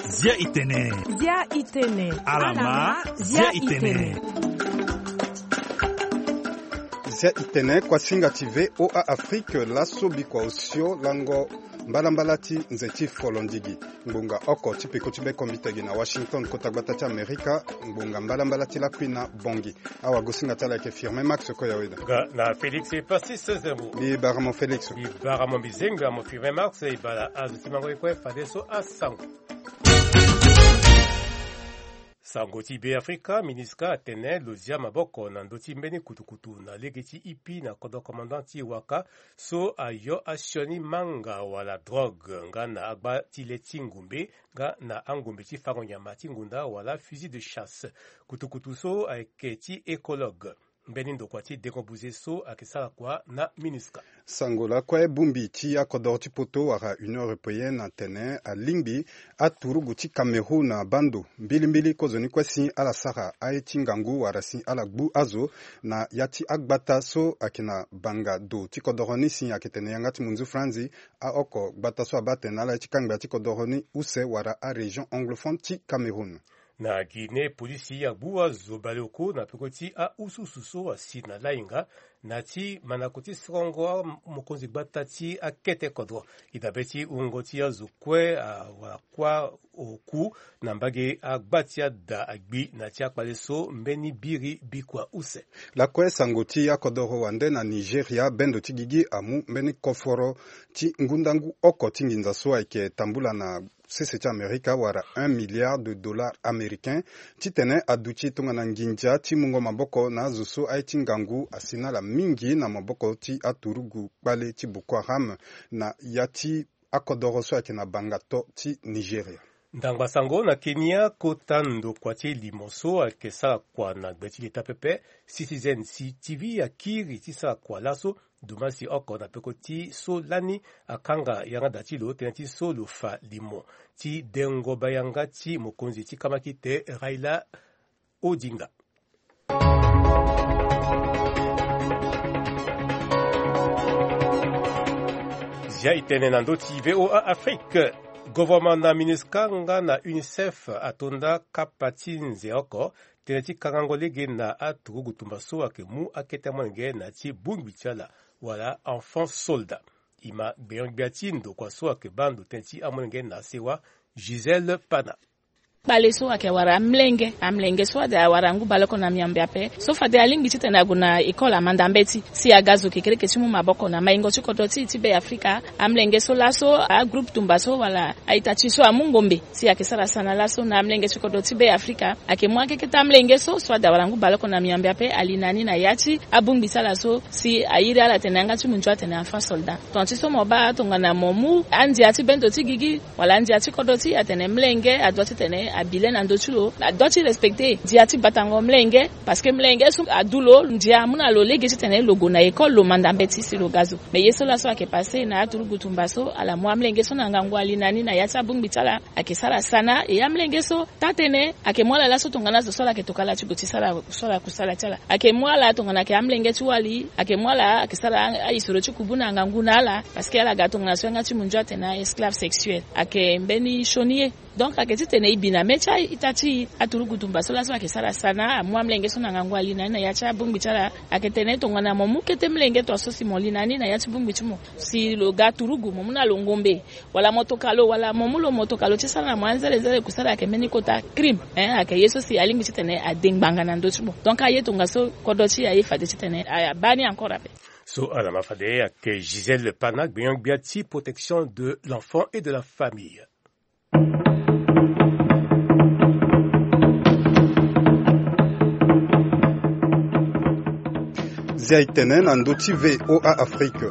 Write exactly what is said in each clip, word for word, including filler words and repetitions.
Zia itene. Zia itene. Alama, zia itene. Zia itene, kuasinga ti V O A Afrique, laso bikua osio lango mbalambala ti nze ti folondigi. Ngbonga oko ti peko ti bekombitegi na Washington, kota gbata ti Amerika, ngbonga mbalambala ti lakui na Bongi. Awagosinga ti ala ayeke Firmin Max Koyaweda. Nga na Félix Persis Zembo. Mbi bara mo Félix. Mbi bara mo, mbi zengbi na mo Firmin Max, e bara azo ti mango ye kue fadeso asango. Sango ti Be Afrika, MINUSCA atene lo zia maboko na ndö ti mbeni kutukutu na lege ti ipi na kodro commandant ti waka so ayo asioni manga wala drogue nga na agba ti le ti ngumbe nga na angumbe ti fango nyama ti ngunda wala fusil de chasse. Kutukutu so ayeke ti écologue. Mbeni ndokua ti dengo buze so ayeke sara kua na MINUSCA. Sango lakue, bongbi ti akodoro ti poto wala Union européenne atene alingbi aturugu ti Cameroun na bando mbilimbili kozoni kue si ala sara aye ti ngangu wala si ala gbu azo na ya ti agbata so ayeke na banga do ti kodoro ni, si ayeke tene yanga ti munzu franzi. Aoko gbata so abaa tene na ala ye ti kangba ti kodoro ni use wala arégion anglophone ti Cameroun. Na Guinée, polisi agbu azo baleoko na peko ti aususu so asi na lainga na ti mandako ti sorongo amokonzi gbata ti akete kodro. E dabe ti wungo ti azo kue awara kuâ oku na mbage agba ti ada agbi na ti akpale so mbeni biri bikua use. Lakue sango ti akodoro wande na Nigeria, bendo ti gigi amu mbeni koforo ti ngundangu oko ti nginza so ayeke tambula na sese ti Amerika wala un milliard de dollars américains, titene aduti tongana nginza ti mungo maboko na azo so aye ti ngangu asi na ala mingi na maboko ti aturugu kpale ti Boko Haram na ya ti akodoro so ayeke na banga to ti Nigeria. Ndangba sango na Kenya, kota ndokua ti limo so ayeke sara kua na gbe ti leta pepe, Citizen C T V akiri ti sara kua laso, dumasi oko na peko ti so lani akanga yanga da ti lo tënë ti so lo fa limo ti dengo bayanga ti mokonzi ti kamakite Raila Odinga. Zia e tene na ndö ti V O A Afrique. Gouvernement na MINUSCA nga na UNICEF ato nda kapa ti nze oko tënë ti kangango lege na aturugu tumba so ayeke mu akete molenge na ti bongbi ti ala wala enfant soldat. E ma gbenyo-gbia ti ndokua so ayeke baa ndo tënë ti amolenge na sewa, Gisèle Pana. Kpale so ayeke wara amlenge, amlenge so ade awara ngu baleoko na miambe ape. So fade alingbi titene ague na école amanda mbeti si aga zo kekereke ti mu maboko na maingo ti kodro ti e ti Be Afrika. Amlenge so laso agroupe tumba so wala a-ita ti e so amu ngombe si ayeke sara sana laso na amlenge ti kodro ti Be Afrika. Ayeke mu akeketa amlenge so so ade awara ngu baleoko na miambe ape ali na ni na ya ti abongbi ti ala so si a iri ala atene yanga ti munzu atene enfant soldat. Tonga ti so mo baa tongana mo mu andia ti bendo ti gigi wala ndia ti kodro ti e atene mlenge adoit titene abi le na ndö ti lo, adoit ti respecter ndia ti batango mlenge. Parce que mlenge so adu lo ndia amu na lo lege titene lo gue na école lo manda mbeti si lo ga zo. Mais ye so laso ayeke passé na aturugu tumba so ala mu amlenge so na ngangu ali na ni na ya ti abongbi ti ala. Ayeke sara sana e amlenge so taa-tënë ayeke mu ala laso tongana azo so ala yeke tokala ti gue ti sara so ala kusala ti ala. Ayeke mu ala tongana ayeke amlenge ti wali, ayeke mu ala ayeke sara a-, aisoro ti kubu na ngangu na ala. Parce que ala ga tongana so yanga ti munzu atene esclave sexuel. Ayeke mbeni sioni ye. Donc ayeke titene e bi na mê ti a-ita ti e aturugu tumba so laso ayeke sara sana amu amlenge so na ngangu ali na ni na ya ti abongbi ti ala. Ayeke tene tongana mo mu kete mlenge tongaso si mo li na ni na ya ti bongbi ti mo si lo ga turugu mo mu na lo ngombe, wala mo toka lo wala mo mu lo mo toka lo ti sara na mo anzerezere kusala ayeke mbeni kota crime. Hein, ayeke ye so si alingbi titene ade ngbanga na ndö ti mo. Donc aye tongaso kodro ti e aye fade titene abaa ni encore ape. So ala ma fade ayeke Gisèle Pana, gbenyo-gbia ti protection de l'enfant et de la famille. Zia e tene na ndö ti V O A Afrique.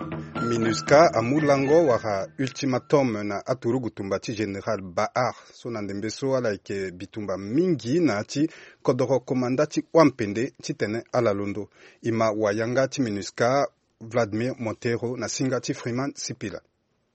MINUSCA amu lango wala ultimatum na aturugu tumba ti général Baar so na ndembe so ala yeke bitumba mingi na ya ti kodoro komanda ti wampende titene ala londo. E ma wayanga ti MINUSCA Vladimir Montero na singa ti Freeman Sipila.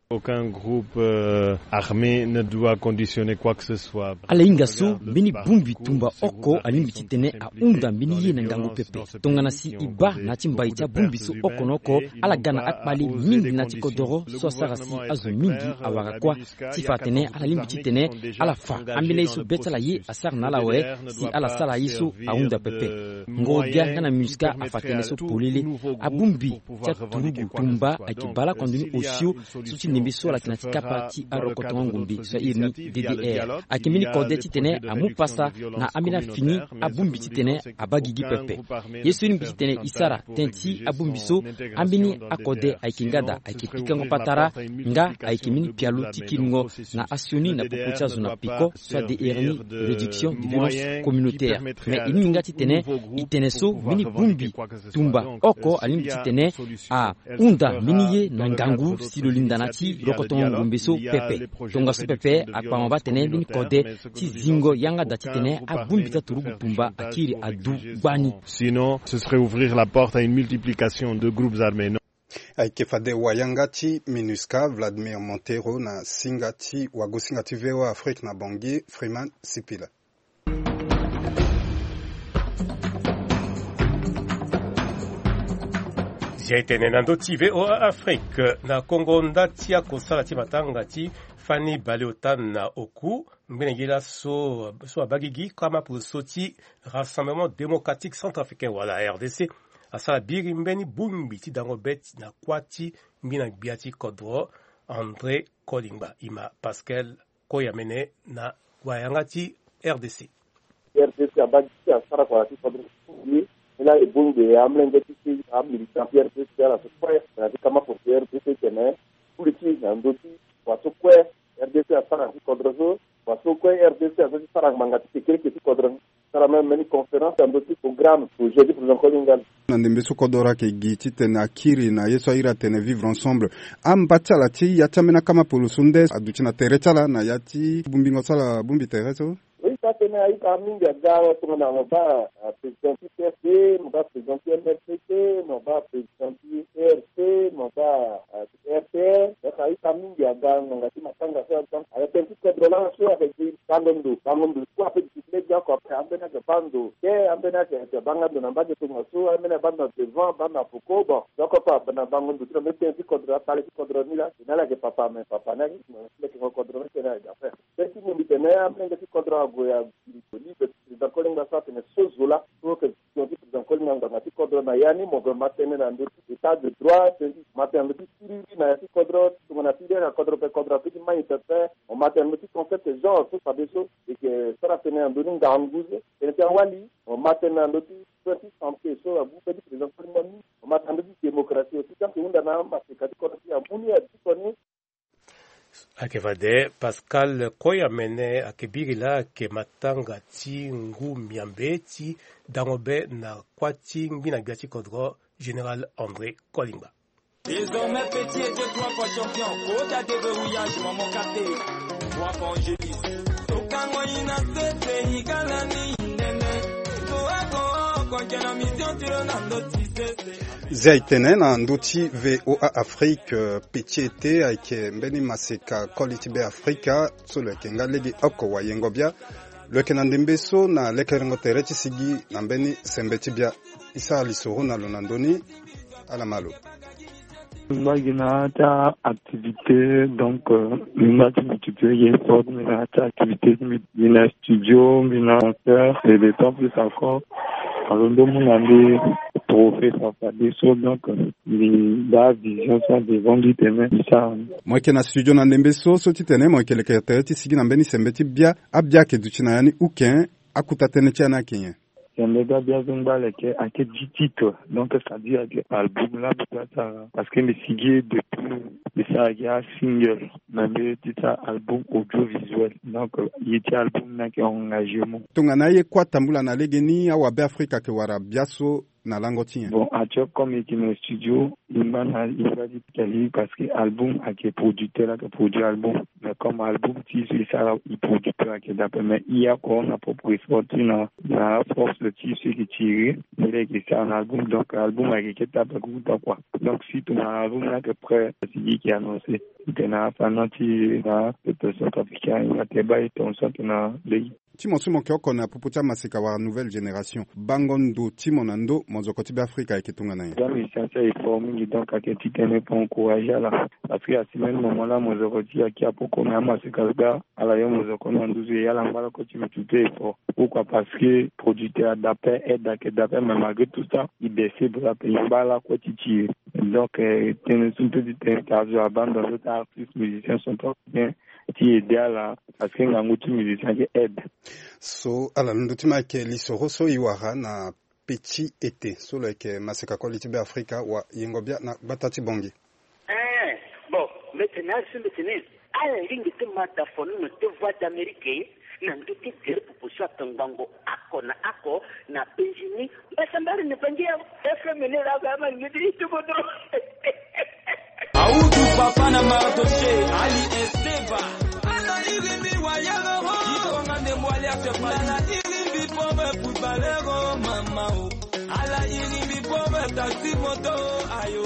Aucun groupe euh, armé ne doit conditionner quoi que ce soit. Ala hinga so mbeni bongbi tumba oko alingbi titene ahunda mbeni ye na ngangu pepe. Tongana si e baa na ya ti mbai ti abongbi so oko na oko, ala ga na akpale mingi na ya ti kodoro so asara si azo mingi awara kuâ. Ti fa atene ala lingbi titene ala fa ambeni aye so be ti ala ye asara na ala awe, si ala sara aye so ahunda pepe. Ngoro-gbia nga na MINUSCA afa tënë so polele. Abongbi ti aturugu tumba ayeke baleoko ndo ni osio so ti ndembe so ala yeke na ya ti kapa ti arokotongo ngombe so airi ni D D R. Ayeke mbeni kode titene amu pasa na ambeni afini abongbi titene abaa gigi pepe. Ye so e lingbi titene e sara tënë ti abongbi so, ambeni akode ayeke ngada, ayeke pikango patara, nga ayeke mbeni pialo ti kiringo na asioni na popo ti azo na peko so adr ni réduction de violence communautaire. Mais e lingbi nga titene e tene so mbeni bongbi tumba oko alingbi titene ahunda mbeni ye na ngangu si lo linda na ya ti rokotongo ngombe so pepe. Tongaso pepe akpama baa tene mbeni kode ti zingo yanga da titene abongbi ti aturugu tumba akiri adu gbani. Sinon ce serait ouvrir la porte à une multiplication de groupes armés. Ayeke fade wayanga ti MINUSCA Vladimir Montero na singa ti wagosinga ti VOA Afrique na Bangui, Freeman Sipila. Zia e tene na ndö ti VOA Afrique na Kongo, nda ti akosala ti matanga ti fani baleota na oku, ngbene ye laso so abaa gigi kama poroso ti Rassemblement Démocratique Centrafricain wala R D C asara biri mbeni bongbi ti dango be ti na kuâ ti ngbina gbia ti kodro André Kolingba. E ma Pascal Koyamene na wayanga ti R D C. R D C abaa gigi asara kua na ti kodro ti e. Ni laa e bongbi amolenge ti e, amilitant ti R D C ala so kue na ya ti kama poroso ti R D C tene kuli ti na ndö ti kua so kue R D C asara na ti kodro so, kua so kue R D C azo ti sara ngbanga ti kekereke ti kodro ni. Sara même mbeni conférence na ndö ti programme projet ti président Kolingba. Na ndembe so kodro ayeke gi titene akiri na ye so airi atene vivre ensemble. Amba ti ala ti ya ti ambeni akama polo so nde aduti na tere ti ala na ya ti bongbingo so ala bongbi tere so? Oui, ça tene a-ita mingi aga tongana mo baa président ti P F D, mo baa président ti M R C T, mo baa président ti E R C, mo baa R T R. Donc a-ita mingi aga ngbanga ti matanga so. Donc ayeke tënë ti kodro laa so ayeke gi bango ndo, bango ndo so kue ape duti ti lege oko ape. Ambeni ayeke baa ndo te, ambeni ayeke baa nga ndo na mbage tongaso, ambeni abaa ndo na devant, abaa ndo na poko. Bon, donc oko ape abaa na bango ndo ti lo. Mbeni tënë ti kodro, akpale ti kodro ni laa e na ala yeke papa, mais papa ni ayeke mo ti lekengo kodro ni tënë ayeke affaire. Tënë ti mo mbi tene amolenge ti kodro ague ya libre ti président Kolingba so atene so zo laa so yeke décision ti président Kolingba ngbanga ti kodro na ya ni mo gue ma tënë na ndö ti état de droit, tënë ti ma tënë na ndö ti siriri na ya ti kodro tongana ti lege kodro pe kodro ape ti mai pepe. Mo ma tënë na ndö ti concept genre so fadeso e yeke sara tënë na ndö ni ngangu so. Tënë ti awali mo ma tënë na ndö ti soin ti santé so agu be ti président Kolingba ni. Mo ma tënë na ndö ti démocratie aussi ti ayeke hunda na amaseka ti kodro ti amu ni adi koni. Ayeke fade Pascal Koyamene ayeke biri laa ayeke matanga ti ngu miambe ti dango be na kuâ ti ngbina gbia ti kodro Général André Kolingba. Désormais petit était trois fois champion. Kota de verrouillage maman kate. Trois fois angéliste. Tokango ina sese igalani nene. Toako konjana mission tiro na ndoti sese. Zia e tene na ndö ti VOA Afrique, euh, petit ete ayeke mbeni maseka koli ti Be Afrika so lo yeke nga lege oko wayengo bia. Lo yeke na ndembe so na lekerengo tere ti sigi na mbeni sembe ti bia. E sara lisoro na lo na ndö ni. Ala ma lo. Mbi baa gi na ya ti activité, donc euh, mbi baa ti mbi tutu ye sport, mbi na ya ti activité ti mbi, mbi na studio, mbi na concert et de temps plus encore alondo mu na mbi trophée fafadeso. Donc euh, mbi baa vision so adevant mbi tene mbi sara ni. Mo yeke na studio na ndembe so so ti tene mo yeke leke tere ti sigi na mbeni sembe ti bia. Abia ayeke duti na ya ni uken. Akuta tënë ti ya ni ayeke nyen? Sembe ga bia so ngba leke ayeke dix titres. Donc c'est-à-dire ayeke album la mbi bia sara parce que mbi sigi ye depuis mbi sara gi asingle na mbi ti sara album audiovisuel. Donc ye ti album ni ayeke engagement. Tongana aye kue atambula na legeni awabe afrika ayeke wara bia so Na lango ti nyen? Bon, actuel comme yeke na studio, e ngba na e ngba ti tali parce que album ayeke producteur ayeke produit album. Mais comme album ti so e sara, e producteur ayeke dape, mais e oko na propre effort ti na na force ti so e yeke tiri, ni la e yeke sara na album. Donc album ayeke ke tape kuta kua. Donc si tongana album ni ayeke prêt, si e yeke annoncé. Tena afa na ti na peuple centrafricain, e nga te baa e tonso tena lege. Ti mo so mo yeke oko na popo ti amaseka wala nouvelle génération, bango ndo ti mo na ndo mozoko ti Beafrika ayeke tongana nyen? Za musicien ti aye fort mingi, donc ayeke ti tene pe encouragé ala. Parce que asi même moment la mozoko ti e ayeke apoko na amaseka gba, ala yo mozoko na nduzu e ya ala ngba lakue ti mutu te e fort. Pourquoi? Parce que producteur adape, aide ayeke dape, mais malgré tout ça e baisse bra ape, e ngba lakue ti ti e. Donc eh, tënë so mpe ti tene ta azo abandon so ti artiste musicien centrafricain ti aide ala, parce que ngangu ti musicien ayeke aide. So ala londo ti ma ayeke lisoro so e wara na petit été so lo yeke maseka koli ti Beafrika wa yengo bia na gbata ti Bangui. Eh, bon, mbi tene azo so mbi tene ala lingbi ti ma da fono na te Voix d'Amérique na ndö ti gere popo so atongbango oko na oko na Benjini. Mbasambari na Bangui ya F M ni la ba ma ni ti tubo dro. Audu papa na Mardoché, Ali Esteva. Ala iri mbi wayelo ho. Ikonga nde mwali ate pali. Ala iri mbi pome pui balero mama o. Ala iri mbi pome taxi moto ayo.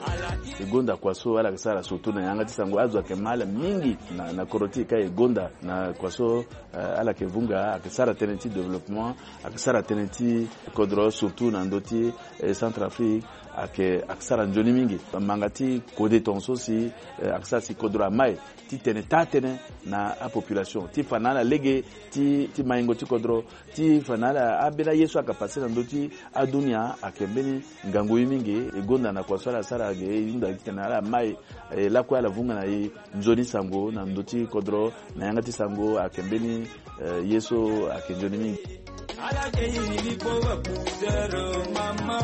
Ala iri. E gonda kua so ala yeke sara surtout na yanga ti sango, azo ayeke ma ala mingi na, na kodro ti e ka e gonda na kua so, eh, ala yeke vunga, ayeke sara tënë ti développement, ayeke sara tënë ti kodro surtout na ndö ti eh, Centrafrique, ayeke, ayeke sara nzoni mingi. Manga ti kode tongaso si, eh, ayeke sara si kodro amai ti tene taa tënë na apopulation ti fa na ala lege ti, ti maingo ti kodro, ti fa na ala ambeni aye so ayeke passe na ndö ti adunia ayeke mbeni ngangu ye mingi. E gonda na kua so ala sara ge, e hunda ti tene ala mai, eh, lakue ala vunga na e nzoni sango na ndö ti kodro, na yanga ti sango ayeke mbeni, eh, ye so ayeke nzoni mingi. Ala ke iri mbi poko pousseur mama.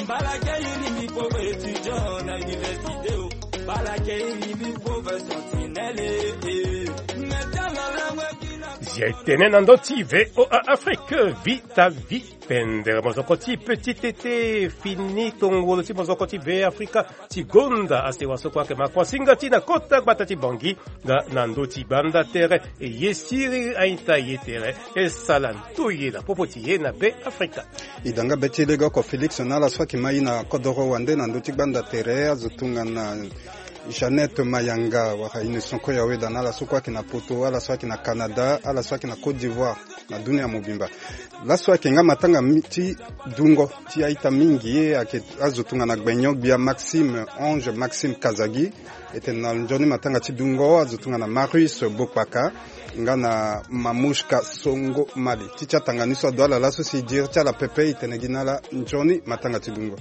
Mbala ke iri mbi poko étudiant na université o. Mbala ke iri mbi poko sentinelle, eh. Meta la langue qui na. Zia e tene na ndö ti V O A Afrique, Vita Vi. Pendere mozoko ti petit été fini tongolo ti mozoko ti Be Afrika ti gonda asewa so kue ayeke ma kuasinga ti na kota gbata ti Bangui nga na ndö ti banda tere. E ye siriri a-ita ye tere e sala ndoye na popo ti e na Be Afrika. E da nga be ti e lege oko Félix na ala so ayeke ma e na kodoro wande na ndö ti gbanda tere, azo tongana Jeannette Mayanga wala Innocent Koyaweda na ala so kue ayeke na poto, ala so ayeke na Canada, ala so ayeke na Côte d'Ivoire, na dunia mobimba. Laso ayeke nga matanga mi-, ti dungo ti a-ita mingi, ayeke azo tongana Gbenyo Gbia Maxime, Ange Maxime Kazagi, e tene na nzoni matanga ti dungo azo tongana Marius Bokpaka nga na Mamouchka Songo Mali. Ti ti atanga ni so ado ala laso si e diri ti ala pepe, e tene gi na ala nzoni matanga ti dungo.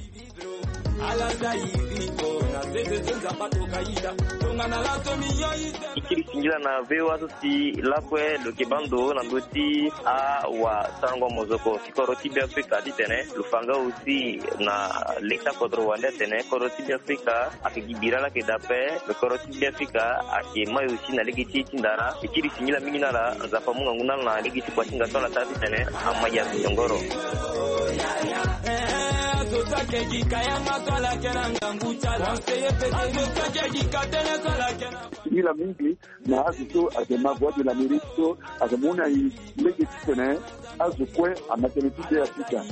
E kiri singila na V O A so si lakue lo yeke baa ndo na ndö ti awasarango mozoko ti kodro ti Be Afrika titene lo fa nga aussi na leta kodro wande atene kodro ti Be Afrika ayeke gi bira laa ayeke daa ape. Lo kodro ti Be Afrika ayeke mai aussi na lege ti e ti ndara. E kiri singila mingi na ala, Nzapa amu ngangu na ala na lege ti kuasinga so ala sara titene amai azo nyongoro. Singila mingi na azo so ayeke ma Voix de l'Amérique so ayeke mu na e lege titene azo kue ama tënë ti Be Afrika.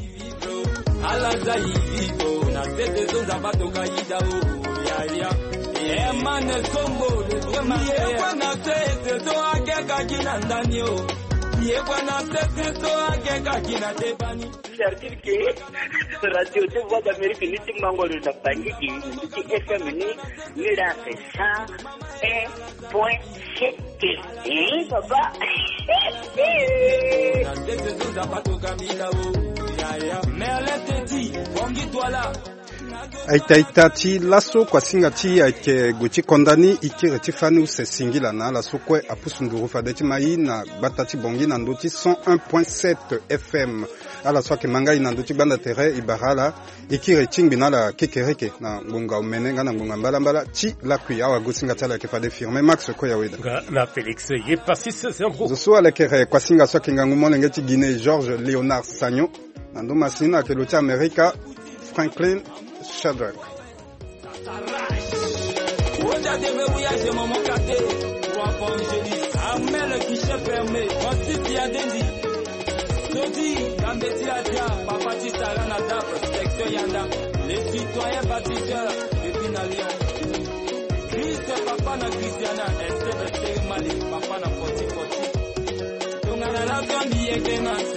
Ala za e vito na sese so Nzapa atoka yida o, yaya. Emane sombo, yekwe na sese so akeka gi na ndani o. Yekwe na sese so akeka gi na debani. C'est-à-dire que radio ti Voix d'Amérique ni ti mango lo na Bangui gi, ni ti F M ni, ni la fait cent un point sept. Eh, papa. A-ita, a-ita ti laso, kuasinga ti e ayeke gue ti konda ni. E kiri ti fani use singila na ala so kue apusu nduru fade ti ma e na gbata ti Bangui na ndö ti cent un point sept F M. Ala so ayeke ma nga e na ndö ti gbanda tere, e bara ala. E kiri e tingbi na ala kekereke na ngonga omene nga na ngonga mbalambala ti lakui. Awagosinga ti ala ayeke fade Firmin Max Koyaweda. Nga na Félix Yepasis Zambro. Zo so alekere kuasinga so ayeke ngangu molenge ti Guinée, Georges Léonard Sagnon. Na ndo masini ayeke lo ti Amerika. Franklin Shadrack. Oja debe wi age maman kate. Roi évangéliste. Armel guichet fermé. Francis Yadendi. Sodi Gambeti Adia. Papa Titara na Dab. Secteur Yanda. Les citoyens bâtisseurs. Depuis na Lyon. Christ papa na Christiana. Esther Esther Mali. Papa na Foti Foti. Tongana la famille Egenas.